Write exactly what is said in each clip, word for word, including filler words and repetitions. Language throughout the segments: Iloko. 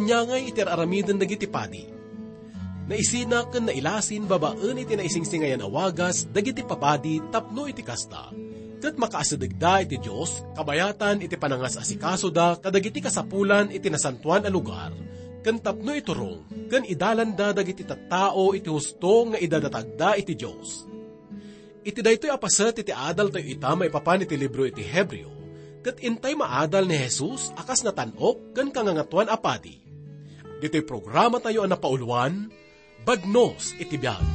Yangay iti ar-aramiden dagiti padi. Naisina ken nailasin babaen iti naisingsingayan a wagas dagiti papadi tapno iti kasta, ket makaasidegda iti Dios kabayatan iti panangas-asikasoda kadagiti kasapulan iti nasantoan a lugar, ken tapno iturong ken idalanda dagiti tattao iti husto nga idadatagda iti Dios. Iti daytoy a paset iti adaltayo ita maipapan iti libro iti Hebreo, ket intay maadal ni Jesus a kas natan-ok ken kangangatuan a padi. Ditoy programatayo a napauluan, Bagnos iti Biag.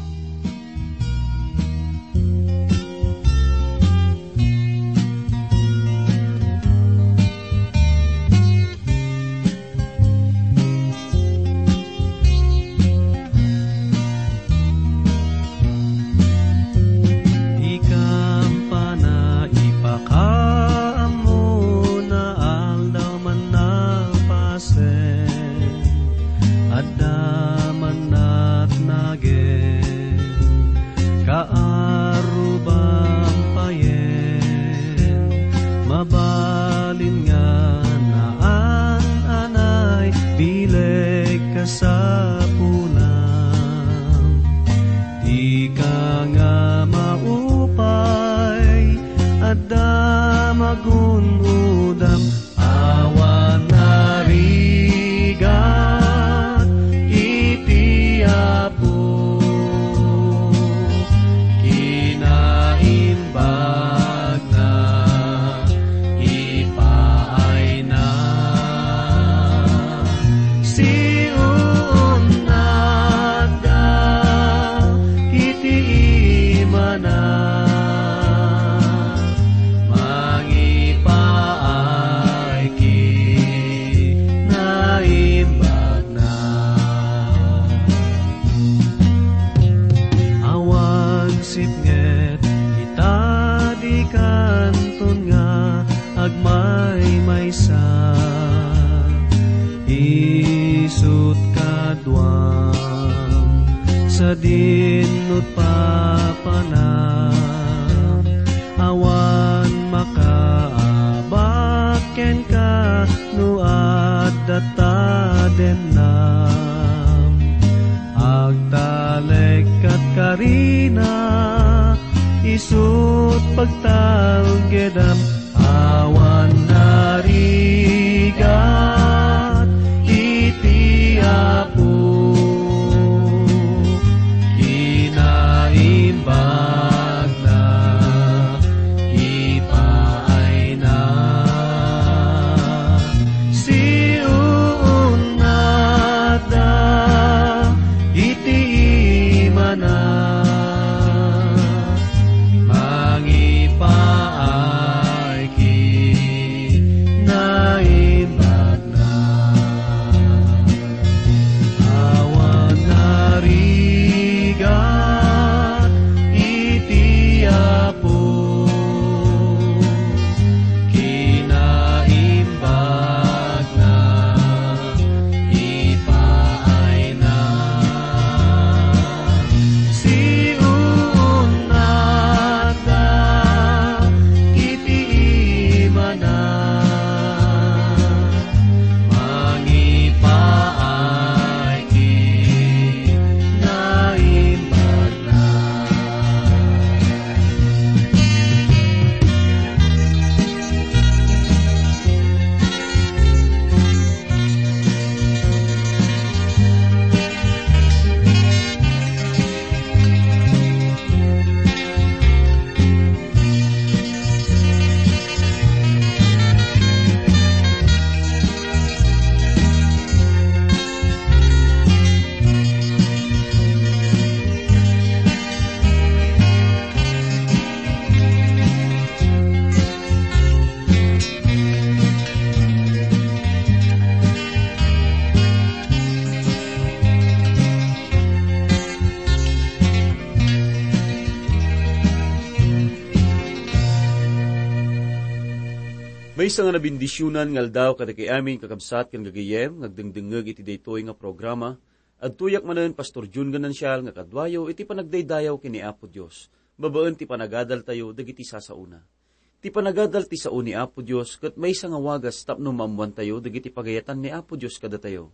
Di kampana ipakaammo na aldaw man napasen, adda man natnagen, kaarruban payen, mabalin nga naan-anay bileg kasapulam. Dika nga maupay, adda magun-odam, awan narigat iti Apo. Kinaimbag na ipaayna. Siunnatda iti imana. Mangipaay kinaimbag na. Awan sipnget ita di kanton nga agmaymaysa. Isut kaduam sadin nutpapanam. Awan makaabak kenka no adda tadennam. Agtalekkat karina, isut pagtalgedam, awan narigat iti Apo. Kinaimbag na ipaayna. Siunnatda iti imana. Mangipaay kinaimbag na. Awan narigat iti Apo. Kinaimbag na ipaayna. Siunnatda iti imana. Mangipaay kinaimbagna. Maysa nga nabendisionan nga aldaw kadagiti amin, kakabsat ken gagayyem, nga agdengdengngeg iti daytoy nga programa. Adtoyak manen, Pastor Jun Ganancial, nga kaduayo iti panagdaydayaw ken ni Apo Dios, babaen ti panagadaltayo dagiti sasaona. Ti panagadal ti sao ni Apo Dios ket maysa nga wagas tapno maammoantayo dagiti pagayatan ni Apo Dios kadatayo.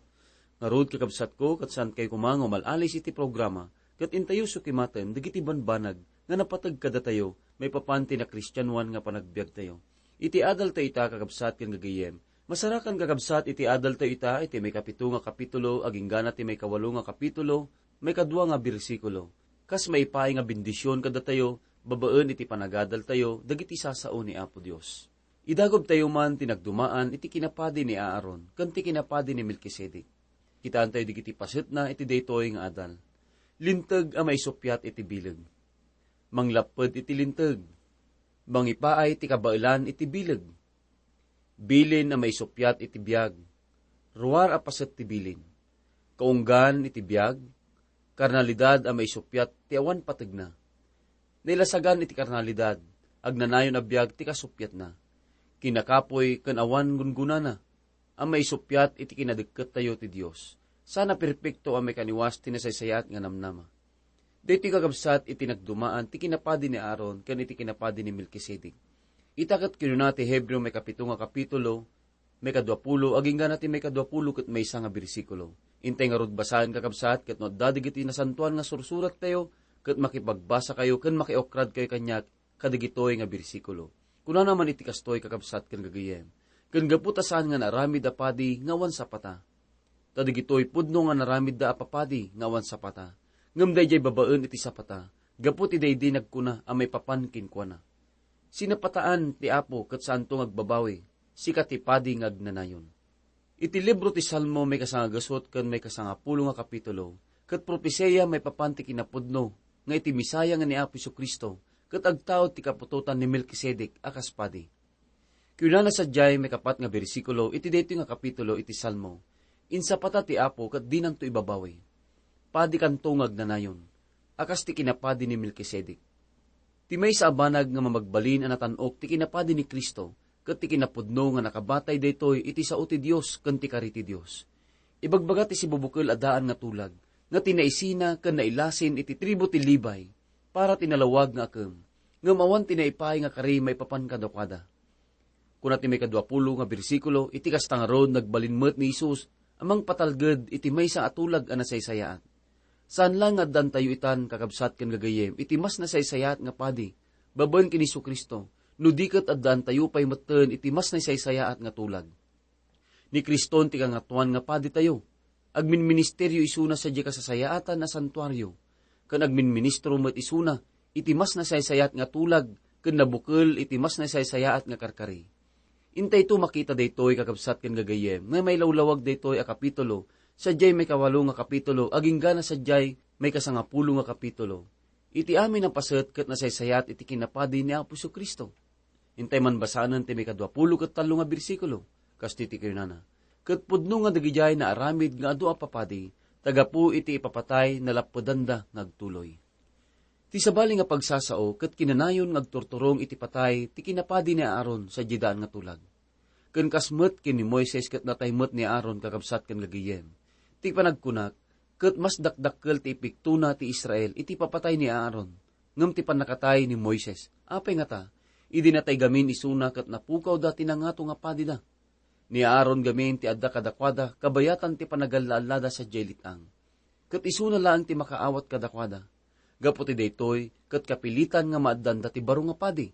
Ngarud, kakabsatko, ket saankayo koma nga umal-alis iti programa, ket intayo sukimaten dagiti banbanag nga napateg kadatayo maipapan ti nakristianoan nga panagbiagtayo. Iti adaltayo ita, kakabsat ken gagayyem, masarakan, kakabsat, iti adaltayo ita iti maikapito nga kapitulo, aginggana ti maikawalo nga kapitulo, maikadua nga bersikulo. Kas maipaay nga bendision kadatayo, babaen iti panagadaltayo dagiti sasao ni Apo Dios. Idagubtayo man ti nagdumaan iti kinapadi ni Aaron ken ti kinapadi ni Melkisedek. Kitaentayo dagiti pasetna iti daytoy nga adal. Linteg a maisuppiat iti bileg. Manglapped iti linteg. Mangipaay ti kabaelan iti bileg. Bilin a maisuppiat iti biag. Ruar a paset ti bilin. Kaunggan iti biag. Karnalidad a maisuppiat ti awan pategna. Nailasagan iti karnalidad, agnanayon a biag ti kasuppiatna. Kinakapuy ken awan gungunana a maisuppiat iti kinadekkettayo ti Dios. Saan a perpekto a maikaniwas ti nasaysayaat nga namnama. Daytoy, kakabsat, iti nagdumaan ti kinapadi ni Aaron ken iti kinapadi ni Melkisedek. Ita ket kinuna ti Hebreo maikapito nga kapitulo, maikaduapulo, aginggana ti maikaduapulo ket maysa nga bersikulo. Intay ngarud basaen, kakabsat, ket no adda dagiti nasantoan nga sursurattayo, ket makipagbasakayo ken makiukradkayo kaniak kadagitoy nga bersikulo. Kunana man iti kastoy, kakabsat ken gagayyem, ken gapu ta saan nga naaramid a padi nga awan sapata. Ta dagitoy pudno nga naramidda a papadi nga awan sapata, ngem daydiay babaen iti sapata, gapu ti daydi nagkuna a maipapan kenkuana. Sinapataan ti Apo ket saanto nga agbabawi, sika ti padi nga agnanayon. Iti libro ti Salmo, maikasangagasut ken maikasangapulo nga kapitulo, ket propesia maipapan ti kinapudno nga iti Messia nga ni Apo Jesu-Cristo ket agtaud ti kaputotan ni Melkisedek a kas padi. Kunana sadiay maikapat nga bersikulo iti daytoy nga kapitulo iti Salmo, "Insapata ti Apo ket dinanto ibabawi. Padikanto nga agnanayon, a kas ti kinapadi ni Melkisedek." Ti maysa a banag nga mamagbalin a natan-ok ti kinapadi ni Cristo ket ti kinapudno nga nakabatay daytoy iti sao ti Dios ken ti kari ti Dios. Ibagbaga ti sibubukel a daan nga tulag nga tinaisina ken nailasin iti tribu ti Levi para ti nalawag nga akem, ngem awan ti naipaay nga kari maipapan kadakuada. Kuna ti maikaduapulo nga bersikulo, iti kasta ngarud, nagbalin met ni Jesus a mangpatalged iti maysa a tulag a nasaysayaat. Saan laeng nga addaantayo itan, kakabsat ken gagayyem, iti mas nasaysayaat nga padi, babaen ken Jesu-Cristo, no di ket addaantayo pay metten iti mas nasaysayaat nga tulag. Ni Criston ti Kangatoan nga Paditayo. Agminministeryo isuna sadiay kasasayaatan a santuario, ken agminministro met isuna iti mas nasaysayaat nga tulag ken nabukel iti mas nasaysayaat nga karkari. Intayto makita daytoy, kakabsat ken gagayyem, nga mailawlawag daytoy a kapitulo sadiay maikawalo nga kapitulo agingga na sadiay maikasangapulo nga kapitulo. Iti amin a paset ket nasaysayaat iti kinapadi ni Apo Jesu-Cristo. Intay man basanen ti maikaduapulo ket tallo nga bersikulo. Kastoy ti kinunana, "Ket pudno nga dagidiay naaramid nga adu a papadi, ta gapu iti ipapatay, nalappedanda nga agtuloy." Ti sabali nga pagsasao ket kinanayon nga agturturong iti patay ti kinapadi ni Aaron sadiay daan nga tulag. Ken kas met ken ni Moises ket natay met ni Aaron, kakabsat ken gagayyem. Ti panagkunak, ket mas dakdakkel ti ipiktona ti Israel iti papatay ni Aaron, ngem ti pannakatay ni Moises. Apay ngata, idi natay gamin isuna ket napukawda ti nangato nga padida. Ni Aaron gamin ti adda kadakuada kabayatan ti panagalla-allada sadiay let-ang. Ket isuna laeng ti makaawat kadakuada. Gapu ti daytoy, ket kapilitan nga maaddanda ti baro nga padi.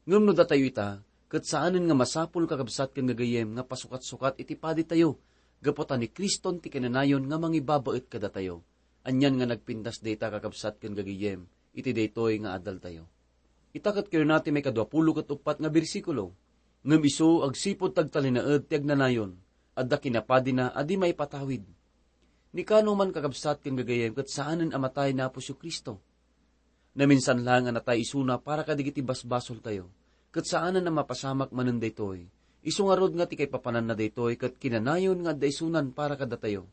Ngem no datayo ita, ket saanen nga masapul, kakabsat ken gagayyem, nga pasukat-sukat iti paditayo, gapu ta ni Criston ti kinanayon nga mangibabaet kadatayo. Anian nga nagpintas dayta, kakabsat ken gagayyem, iti daytoy nga adaltayo. Ita ket kinuna ti maikaduapulo ket uppat nga bersikulo, "Ngem isu, agsipud ta agtalinaed ti agnanayon, adda kinapadina a di maipatawid." Ni kano man, kakabsat ken gagayyem, ket saanen a matay ni Apo Jesu-Cristo. Naminsan laeng a natay isuna para kadagiti basbasoltayo, ket saanen a mapasamak manen daytoy. Isu ngarud nga ti kaipapananna daytoy ket kinanayon nga adda isunan para kadatayo.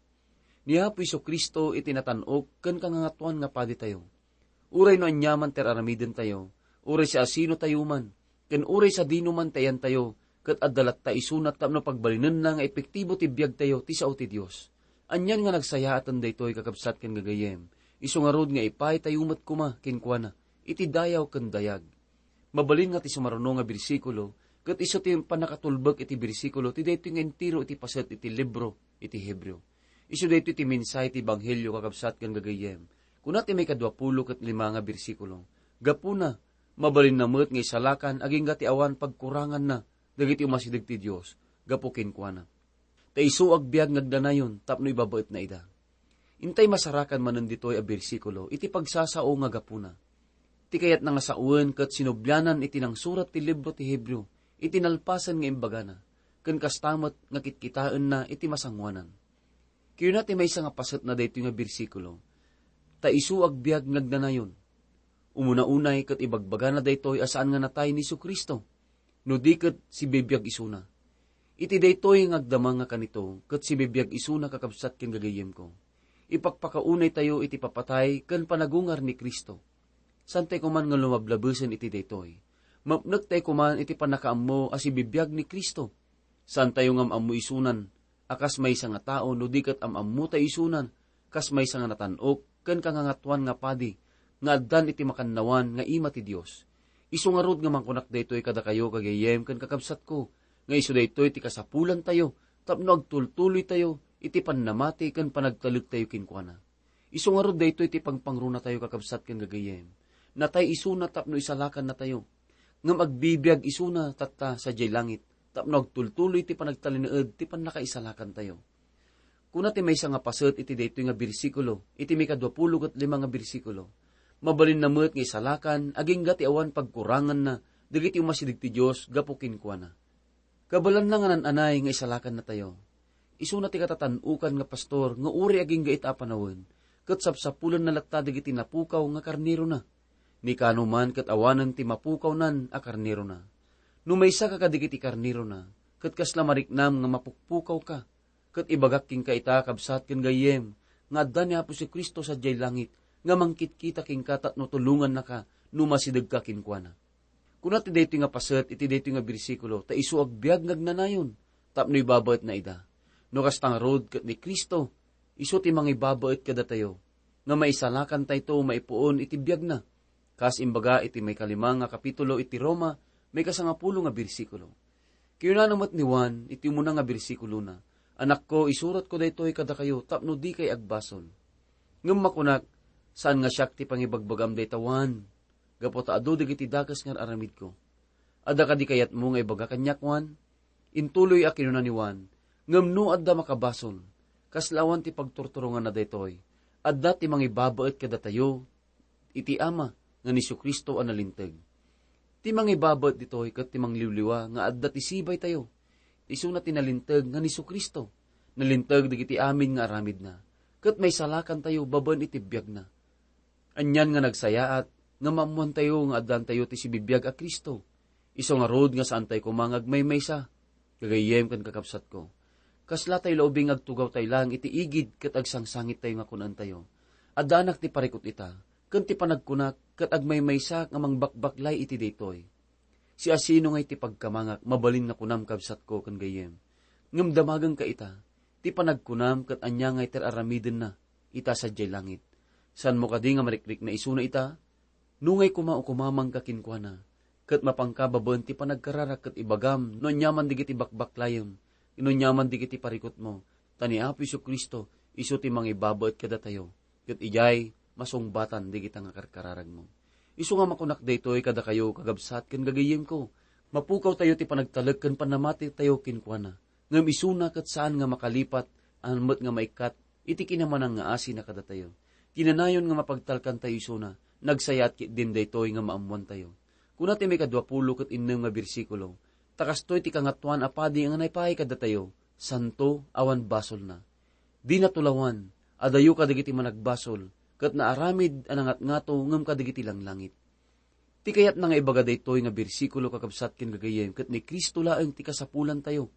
Ni Apo Jesu-Cristo iti natan-ok ken kangangatoan nga paditayo. Uray no aniaman ti ar-aramidentayo, uray siasinotayo man, ken uray sadino man ti ayantayo, ket adda latta isuna tapno pagbalinenna nga epektibo ti biagtayo ti sao ti Dios. Anian nga nagsayaaten daytoy, kakabsat ken gagayyem, isu ngarud nga ipaytayo met koma kenkuana iti dayaw ken dayag. Mabalin nga ti sumaruno nga bersikulo, ket isu ti pannakatulbek iti bersikulo ti daytoy nga entero iti paset iti libro iti Hebreo. Isu daytoy ti mensahe ti Ebanghelio, kakabsat ken gagayyem. Kuna ti maikadua pulo ket lima nga bersikulo, "Gapuna, mabalinna met nga isalakan agingga ti awan pagkuranganna dagiti umasideg ti Dios gapu kenkuana. Ta isu agbiag nga agdanayon tapno ibabaetna ida." Intay masarakan manen ditoy a bersikulo iti pagsasao nga gapuna. Ti kayatna nga sawen ket sinublianan iti nangsurat ti libro ti Hebreo iti nalpasen nga imbagana, ken kasta met nga kitkitaenna iti masangoanan. Kuna ti maysa nga pasetna daytoy nga bersikulo, "Ta isu agbiag nga agdanayon." Umuna unay ket ibagbagana daytoy a saan nga natay ni Jesu-Cristo, no di ket sibibiag isuna. Iti daytoy nga agdama nga kanito ket sibibiag isuna, kakabsat ken gagayyemko, ipakpakaunay tayo iti papatay ken panagungar ni Cristo. Saan tayo koman nga lumablabesen iti daytoy. Mapnek tayo koman iti pannakaammo a sibibiag ni Cristo. Saan tayo nga am-ammo isunan a kas maysa nga tao no di ket am-ammo tayo isunan kas maysa nga natan-ok ken kangangatuan nga padi nga addan iti makannawan nga ima ti Dios. Isu ngarud nga mangkunak daytoy kadakayo, gagayyem ken kakabsatko, nga isu daytoy ti kasapulantayo tapno agtultuloytayo iti pannamati ken panagtalektayo kenkuana. Isu ngarud daytoy ti pangpangrunatayo, kakabsat ken gagayyem. Natay isuna tapno isalakannatayo. Ngem agbibiag isuna tatta sadiay langit tapno agtultuloy ti panagtalinaed ti pannakaisalakantayo. Kuna ti maysa nga paset iti daytoy nga bersikulo, iti maikadua pulo ket lima nga bersikulo, "Mabalinna met nga isalakan agingga ti awan pagkuranganna dagiti umasideg ti Dios gapu kenkuana." Kabaelanna nga naan-anay nga isalakannatayo. Isuna ti katatan-okan nga pastor nga uray agingga ita a panawen, ket sapsapulenna latta dagiti napukaw nga karnerona. Ni Kano man ket awanen ti mapukawnan a karnerona. No maysaka kadagiti karnerona, ket kasla mariknam nga mapukpukawka, ket ibagak kenka ita, kabsat ken gayyem, nga adda ni Apo Jesu-Cristo sadiay langit nga mangkitkita kenka tapno tulongannaka no masidegka kenkuana. Kuna ti daytoy nga paset iti daytoy nga bersikulo, "Ta isu agbiag nga agnanayon tapno ibabaetna ida." No kasta ngarud ket ni Cristo, isu ti mangibabaet kadatayo, nga maisalakantayto maipuon iti biagna. Kas imbaga iti maikalima nga kapitulo iti Roma, maikasangapulo nga bersikulo. Kinunana met ni Juan iti umuna nga bersikulona, "Anakko, isuratko daytoy kadakayo tapno dikay agbasol." Ngem makunak, "Saan nga siak ti pangibagbagam dayta, Juan, gapu ta adu dagiti dakes nga ar-aramidko." "Adda kadi kayatmo nga ibaga kaniak, Juan?" Intuloy a kinuna ni Juan, "Ngem no adda makabasol, kasla awan ti pagturturonganna daytoy, adda ti mangibabaet kadatayo iti Ama nga ni Jesu-Cristo a nalinteg." Ti mangibabaet ditoy ket ti mangliwliwa nga adda ti sibaytayo. Isuna ti nalinteg nga ni Jesu-Cristo. Nalinteg dagiti amin nga aramidna, ket maisalakantayo babaen iti biagna. Anian nga nagsayaat nga maammoantayo nga addantayo ti sibibiag a Cristo. Isu ngarud nga saantayo koma nga agmaymaysa, gagayyem ken kakabsatko. Kasla tayo la ubing agtugawtayo laeng iti igid ket agsangsangittayo nga kunaentayo, "Addaanak ti parikut ita, ken ti panagkunak ket agmaymaysak nga mangbakbaklay iti daytoy." Siasino ngay ti pagkamangak, mabalin nga kunam, kabsatko ken gayyem? Ngem damagengka ita, ti panagkunam ket ania ngay ti ar-aramidenna ita sadiay langit? Saanmo kadi nga marikrikna isuna ita? No ngay koma ukumamangka kenkuana, ket mapanka babaen ti panagkararag ket ibagam no aniaman dagiti bakbaklayem, no aniaman dagiti parikutmo, ta ni Apo Jesu-Cristo isu ti mangibabaet kadatayo, ket idiay masungbatan dagita nga karkararagmo. Isu nga makunak daytoy kadakayo, kakabsat ken gagayyemko, mapukawtayo ti panagtalek ken pannamatitayo kenkuana. Ngem isuna ket saan nga makalipat, awan met nga maikkat iti kinamanangngaasina kadatayo. Kinanayon nga mapagtalkantayo isuna, nagsayaat ketdin daytoy nga maammoantayo. Kuna ti maikadua pulo ket innem nga bersikulo, "Ta kastoy ti Kangatoan a Padi nga naipaay kadatayo, santo, awan basolna. Dina tulawan, adayo kadagiti managbasol, ket naaramid a nangatngato ngem kadagiti langlangit." Ti kayatna nga ibaga daytoy nga bersikulo, kakabsat ken gagayyem, ket ni Cristo laeng ti kasapulantayo.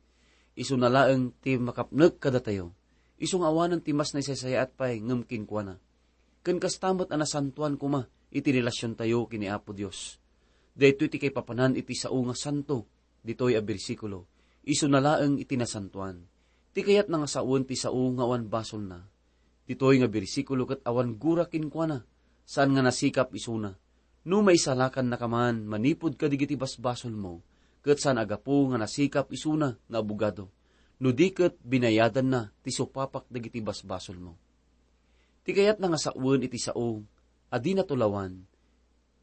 Isuna laeng ti makapnek kadatayo. Isu nga awanen ti mas naisaysayaat pay ngem kenkuana. Ken kasta met a nasantoan koma iti relasiontayo ken ni Apo Dios. Daytoy ti kaipapanan iti sao nga santo ditoy a bersikulo. Isuna laeng iti nasantoan. Ti kayatna nga sawen ti sao nga awan basolna. Ditoy nga bersikulo ket awan gura kenkuana, saan nga nasikap isuna. No maisalakannaka man manipud kadagiti basbasolmo, ket saan a gapu nga nasikap isuna nga abogado. no di ket binayadanna ti supapak dagiti basbasolmo. Ti kayatna nga sawen iti sao a di natulawan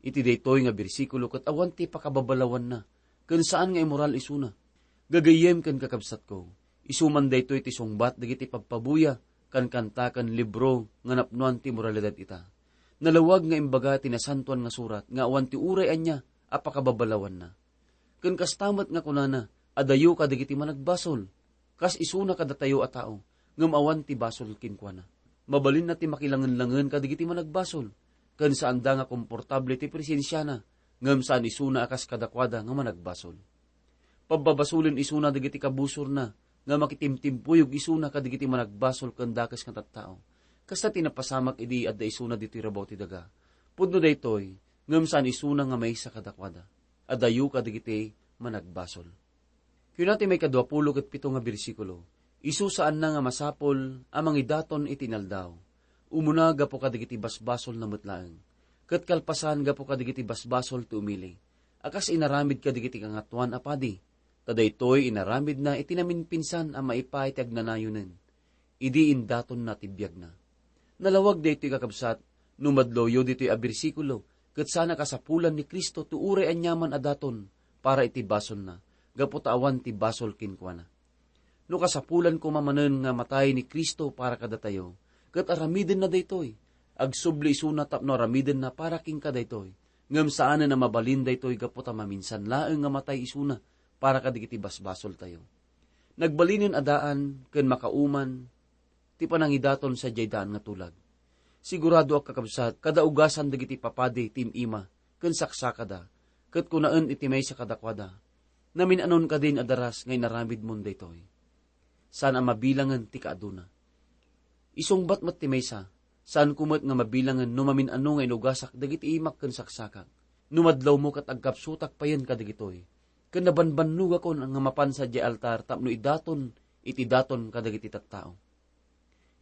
iti daytoy nga bersikulo ket awan ti pakababalawanna ken saan nga imoral isuna. Gagayyem ken kakabsatko, isu man daytoy ti sungbat dagiti pagpabuya, kankanta ken libro nga napnoan ti moralidad ita. Nalawag nga imbaga ti Nasantoan nga Surat nga awan ti uray ania a pakababalawanna. Ken kasta met nga kunana, "Adayo kadagiti managbasol, kas isuna kadatayo a tao, ngem awan ti basol kenkuana." Mabalinna ti makilangenlangen kadagiti managbasol, ken saanda nga komportable ti presensiana, ngem saan isuna a kas kadakuada nga managbasol. Pabbabasolen isuna dagiti kabusorna, nga makitimtimpuyog isuna kadagiti managbasol ken dakes nga tattao. Kasta ti napasamak idi adda isuna ditoy rabaw ti daga. Pudno daytoy, ngem saan isuna nga maysa kadakuada. Adayo kadagiti managbasol. Kuna ti maikadua pulo ket pito nga bersikulo, "Isu saanna nga masapul a mangidaton iti inaldaw. Umuna gapu kadagiti basbasolna met laeng, ket kalpasan gapu kadagiti basbasol ti umili, a kas inaramid kadagiti kangatoan a padi, ta daytoy inaramidna iti naminpinsan a maipaay ti agnanayonen, idi indatonna ti biagna." Nalawag daytoy, kakabsat, no madloyo ditoy a bersikulo, ket saan a kasapulan ni Cristo ti uray aniaman a daton para iti basolna, gapu ta awan ti basol kenkuana. No kasapulan koma manen nga matay ni Cristo para kadatayo, ket aramidenna daytoy, agsubli isuna tapno aramidenna para kenka daytoy, ngem saanen a mabalin daytoy gapu ta maminsan laeng nga matay isuna para kadagiti basbasoltayo. Nagbalinen a daan ken makauman ti panangidaton sadiay daan nga tulag. Siguradoak, kakabsat, kadaugasan dagiti papadi ti im-ima ken saksakada, ket kunaen iti maysa kadakuada, "Namin-anon kadin a daras nga inaramidmon daytoy?" Saan a mabilangen ti kaaduna. Isungbat met ti maysa, "Saanko met nga mabilangen no mamin-ano nga inugasak dagiti imak ken saksakak. No madlawmo ket agkapsutak payen kadagitoy, ken nabanbannogakon nga mapan sadiay altar tapno idaton iti daton kadagiti tattao."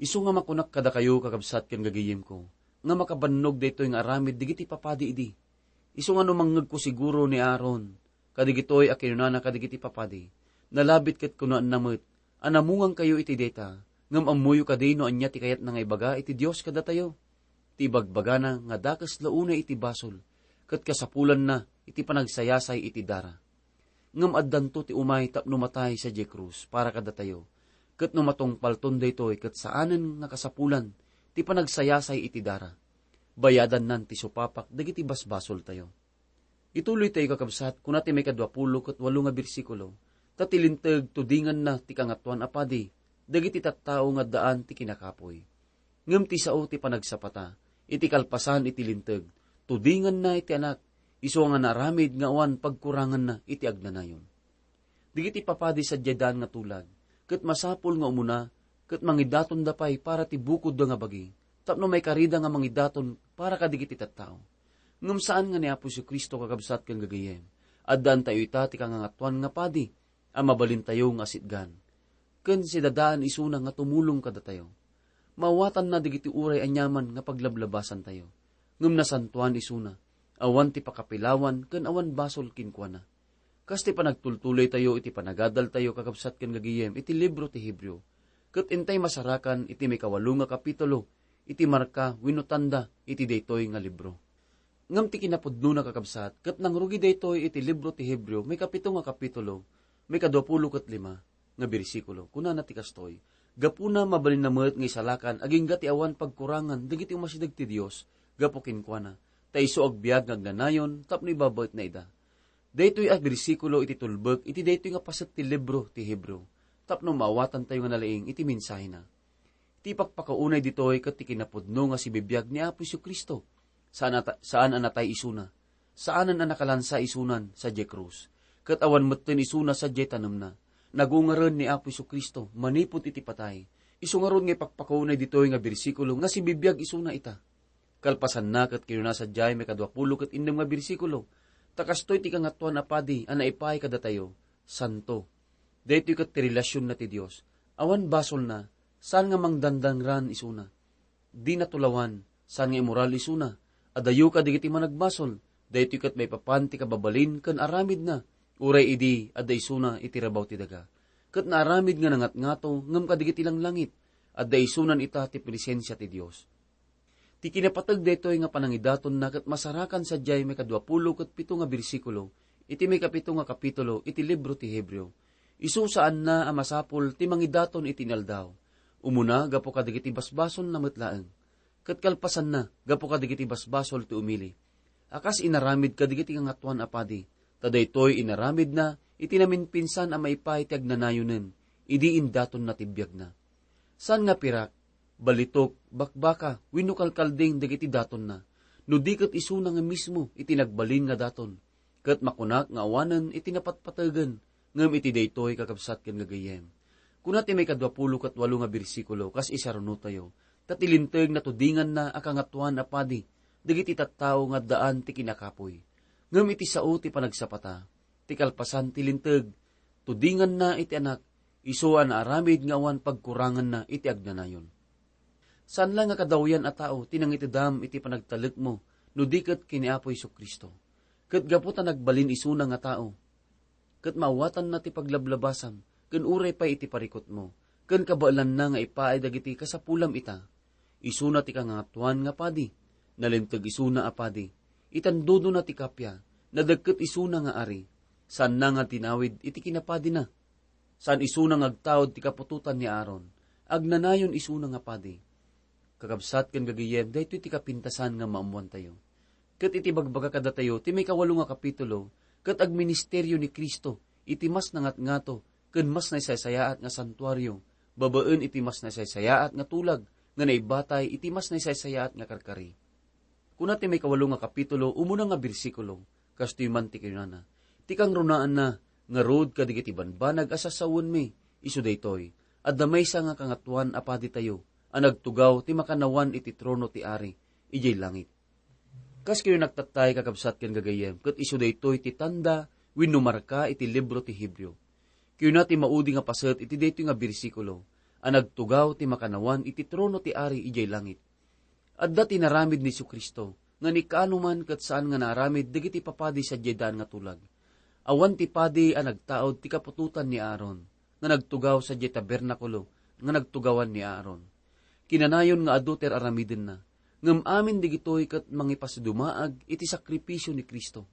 Isu nga makunak kadakayo, kakabsat ken gagayemko, nga makabannog daytoy nga aramid dagiti papadi idi. Isu nga no mangngegko siguro ni Aaron, kadagitoy a kinunana kadagiti papadi, nalabit ket kunaenna met, "Anamungankayo iti dayta, ngem ammoyo kadi no ania ti kayatna nga ibaga iti Dios kadatayo? Ti ibagbagana nga dakes la unay iti basol, ket kasapulanna iti panagsayasay iti dara. Ngem addanto ti umay tapno matay sadiay krus para kadatayo, ket no matungpalton daytoy ket saanen nga kasapulan ti panagsayasay iti dara. Bayadannan ti supapak dagiti basbasoltayo." Ituloytayo, kakabsat, kuna ti maikadua pulo ket walo nga bersikulo, "Ta ti linteg tudinganna ti Kangatoan a Padi dagiti tattao nga addaan ti kinakapuy. Ngem ti sao ti panagsapata, iti kalpasan iti linteg, tudinganna iti Anak, isu nga naaramid nga awan pagkuranganna iti agnanayon." Dagiti papadi sadiay daan nga tulag, ket masapul nga umuna ket mangidatonda pay para ti bukodda nga bagi, tapno maikarida nga mangidaton para kadagiti tattao. Ngem saan nga ni Apo Jesu-Cristo, kakabsat ken gagayyem, addaantayo ita ti kangangatoan nga padi a mabalintayo nga asitgan. Ken sidadaan isuna nga tumulong kadatayo. Maawatanna dagiti uray aniaman nga paglablabasantayo. Ngem nasantoan isuna, awan ti pakapilawan ken awan basol kenkuana. Kas ti panagtultuloytayo iti panagadaltayo, kakabsat ken gagayyem, iti libro ti Hebreo, ket intay masarakan iti maikawalo nga kapitulo iti marka wenno tanda iti daytoy nga libro. Ngem ti kinapudnona, kakabsat, ket nangrugi daytoy iti libro ti Hebreo, maikapito nga kapitulo, maikadua pulo ket lima nga bersikulo. Kunana ti kastoy, "Gapuna, mabalinna met nga isalakan agingga ti awan pagkurangan dagiti umasideg ti Dios gapu kenkuana, ta isu agbiag nga agnanayon tapno ibabaetna ida." Daytoy a bersikulo iti tulbek iti daytoy nga paset ti libro ti Hebreo, tapno maawatantayo nga nalaing iti mensahena. Ti ipakpakaunay ditoy ket ti kinapudno nga sibibiag ni Apo Jesu-Cristo. Saan a ta-, saan a natay isuna. Saanen a nakalansa isunan sadiay krus. Ket awan metten isuna sadiay tanemna. Nagungaren ni Apo Jesu-Cristo manipud iti patay. Isu ngarud nga ipakpakaunay ditoy nga bersikulo nga sibibiag isuna ita. Kalpasanna ket kinuna sadiay maikadua pulo ket innem nga bersikulo, "Ta kastoy ti Kangatoan a Padi a naipaay kadatayo, santo." Daytoy ket ti relasionna ti Dios. Awan basolna, saan nga mangdandangran isuna. Di natulawan, saan nga imoral isuna. Adayo kadagiti managbasol, daytoy ket maipapan ti kababalin ken aramidna, uray idi adda isuna iti rabaw ti daga. ket naaramid nga nangatngato ngem kadagiti langlangit, adda isunan ita ti presensia ti Dios. Ti kinapateg daytoy nga panangidatonna ket masarakan sadiay maikadua pulo ket pito nga bersikulo iti maikapito nga kapitulo iti libro ti Hebreo. Isu saanna a masapul ti mangidaton iti inaldaw. Umuna, gapu kadagiti basbasolna met laeng. Ket kalpasanna, gapu kadagiti basbasol ti umili. A kas inaramid kadagiti Kangatoan a Padi, ta daytoy inaramidna iti namimpinsan a maipaay ti agnanayonen idi indatonna ti biagna. Saan nga pirak, balitok, bakbaka, wenno kalkalding dagiti datonna, no di ket isuna nga mismo iti nagbalin nga daton. Ket makunak nga awanen iti napatpategen, ngem iti daytoy, kakabsat ken gagayyem. Kuna ti maikadua pulo ket walo nga bersikulo, kas isarunotayo, ta ti Linteg natudinganna a Kangatoan a Padi dagiti tattao nga addaan ti kinakapuy. Ngem iti sao ti panagsapata, ti kalpasan ti Linteg, tudinganna iti Anak, isu a naaramid nga awan pagkuranganna iti agnanayon. Saan la nga kadawyan a tao ti nangitedam iti panagtalekmo no di ket ken ni Apo Jesu-Cristo. Ket gapu ta nagbalin isuna nga tao, ket maawatanna ti paglablabasam, ken uray pay iti parikutmo, ken kabaelanna nga ipaay dagiti kasapulam ita. Isuna ti kangangatoan nga padi, nalinteg isuna a padi, itandodona ti kappia, nadagket isuna nga ari, saanna nga tinawid iti kinapadina. Saan isuna nga agtaud ti kaputotan ni Aaron, agnanayon isuna nga padi. Kakabsat ken gagayyem, daytoy ti kapintasan nga maammoantayo. Ket iti bagbaga kadatayo ti maikawalo nga kapitulo, ket agministerio ni Cristo iti mas nangatngato ken mas naisaysayaat nga santuario, babaen iti mas naisaysayaat nga tulag nga naibatay iti mas naisaysayaat nga karkari. Kuna ti maikawalo nga kapitulo, umuna nga bersikulo, kastoy man ti kinunana, "Ti kangrunaanna ngarud kadagiti banbanag a sassawenmi, isu daytoy, adda maysa nga kangatoan a paditayo a nagtugaw ti makannawan iti trono ti Ari idiay langit." Kas kayo nagtattay, kakabsat ken gagayyem, ket isu daytoy ti tanda wenno marka iti libro ti Hebreo. Kayuna ti maudi nga paset iti daytoy nga bersikulo a nagtugaw ti makannawan iti trono ti Ari idiay langit. Adda ti inaramid ni Jesu-Cristo nga ni kaano man ket saan nga naaramid dagiti papadi sadiay daan nga tulag. Awan ti padi a nagtaud ti kaputotan ni Aaron nga nagtugaw sadiay tabernakulo nga nagtugawan ni Aaron. Kinanayon nga adu ti ar-aramidenna, ngem amin dagitoy ket mangipasidumaag iti sakripisio ni Cristo.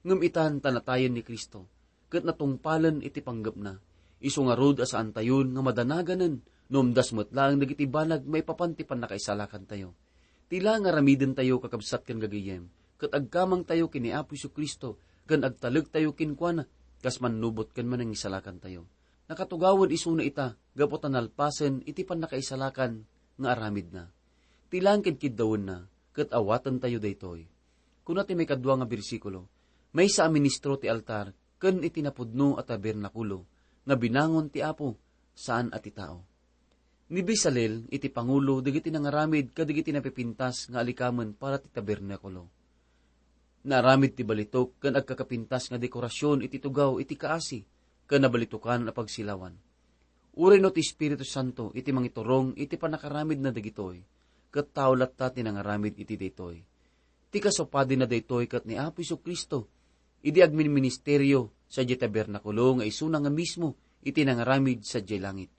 Ngem itan ta natayen ni Cristo, ket natungpalen iti panggepna. Isu ngarud a saantayon nga madanaganen no umdas met laeng dagiti banag maipapan ti pannakaisalakantayo. Ti la nga aramidentayo, kakabsat ken gagayyem, ket agkamangtayo ken ni Apo Jesu-Cristo ken agtalektayo kenkuana kas mannubot ken manangisalakantayo. Nakatugawen isuna ita gapu ta nalpasen iti pannakaisalakan nga aramidna. Ti laeng kedkeddawenna, ket awatentayo daytoy. Kuna ti maikadua nga bersikulo, "Maysa a ministro ti altar ken iti napudno a tabernakulo nga binangon ti Apo, saan a ti tao." Ni Bezalel iti pangulo dagiti nangaramid kadagiti napipintas nga alikamen para ti tabernakulo. Naaramid ti balitok ken agkakapintas nga dekorasion iti tugaw iti kaasi ken nabalitokan a pagsilawan. Uray no ti Espiritu Santo iti mangiturong iti pannakaramidna dagitoy, ket tao latta ti nangaramid iti daytoy. Ti kasupadina daytoy ket ni Apo Jesu-Cristo, idi agminministerio sadiay tabernakulo nga isuna nga mismo iti nangaramid sadiay langit.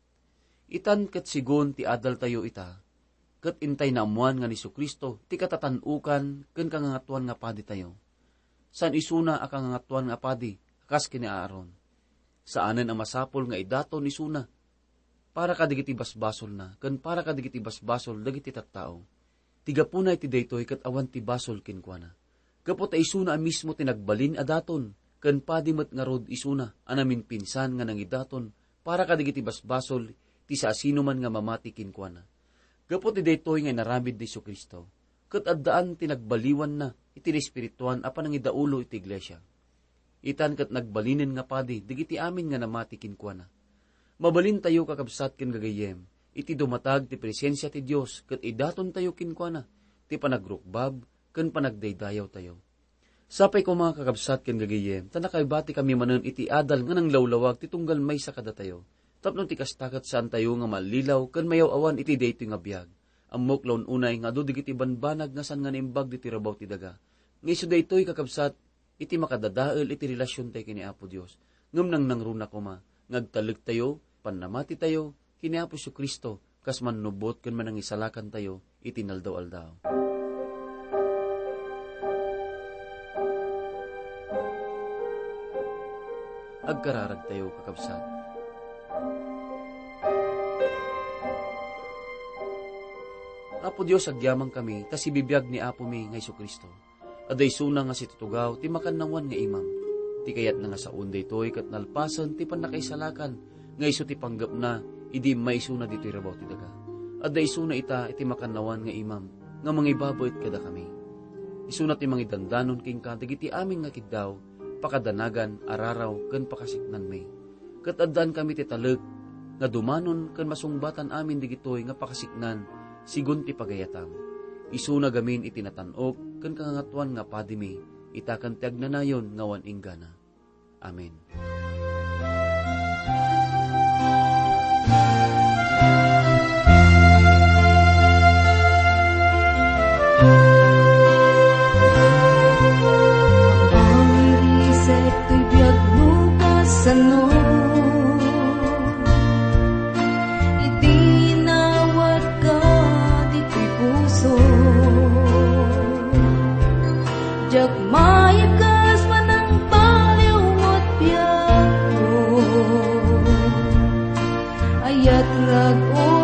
Itan ket segun ti adaltayo ita, ket intay naammoan nga ni Jesu-Cristo ti katatan-okan ken kangangatoan nga paditayo. Saan isuna a kangangatoan nga padi a kas ken ni Aaron. Saanen a masapul nga idaton isuna para kadagiti basbasolna ken para kadagiti basbasol dagiti tattao. Ti gapuna iti daytoy ket awan ti basol kenkuana. Gapu ta isuna a mismo ti nagbalin a daton, ken padi met ngarud isuna a namimpinsan nga nangidaton para kadagiti basbasol ti siasinoman nga mamati kenkuana. Gapu ti daytoy nga inaramid ni Jesu-Cristo, ket addaan ti nagbaliwanna iti naespirituan a panangidaulo iti iglesia. Itan ket nagbalinen nga padi dagiti amin nga namati kenkuana. Mabalintayo, kakabsat ken gagayyem, iti dumatag ti presensia ti Dios ket idatontayo kenkuana ti panagrukbab ken panagdaydayawtayo. Sapay koma, kakabsat ken gagayyem, ta nakaibatikami manen iti adal nga nanglawlawag ti tunggal maysa kadatayo. Tapno ti kasta ket saantayo nga mallilaw ken mayaw-awan iti daytoy nga biag. Ammok la un-unay nga adu dagiti banbanag nga saan nga naimbag ditoy rabaw ti daga. Nga isu daytoy, kakabsat, iti makadadael iti relasiontayo ken ni Apo Dios. Ngem nangnangruna koma, nga agtalektayo, pannamatitayo, ken ni Apo Jesu-Cristo, kas mannubbot ken manangisalakantayo iti inaldaw-aldaw. Agkararagtayo, kakabsat. Apo Dios, agyamankami ta sibibiag ni Apomi nga Jesu-Cristo. Adda isuna nga situtugaw ti makannawan nga imam. Ti kayatna nga saon daytoy ket nalpasen ti pannakaisalakan nga isu ti panggepna idi immaisuna ditoy rabaw ti daga. Adda isuna ita iti makannawan nga imam nga mangibabaet kadakami. Isuna ti mangidandanon kenka dagiti amin nga kiddaw, pakadanagan, araraw, ken pakasiknanmi. Ket addaan kami ti talek nga dumanon ken masungbatan amin digitoy nga pakasiknan, sigun ti pagayatam. Isuna gamin iti natan-ok ken kangangatuan nga padimi, ita ken ti agnanayon nga awan inggana. Amen. Pangirisek toy biagmo kasano, idi nawatka ditoy puso. Diak maikes manangbaliw met biagko. Ayat rag-o